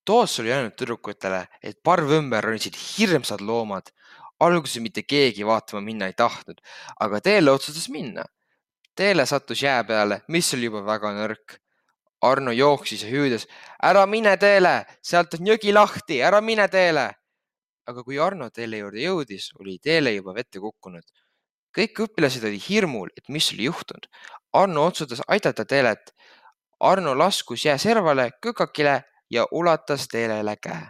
Toos oli öelnud tüdrukutele, et parv ümber ronisid hirmsad loomad. Alguses mitte keegi vaatama minna ei tahtnud, aga Teele otsustas minna. Teele sattus jää peale, mis oli juba väga nõrk. Arno jooksis ja hüüdes, ära mine Teele, sealt on jõgi lahti, ära mine Teele. Aga kui Arno Teele juurde jõudis, oli Teele juba vette kukkunud. Kõik õpilased olid hirmul, et mis oli juhtunud. Arno otsustas aidata Teelet. Arno laskus jää servale kõkakile ja ulatas Teelele käe.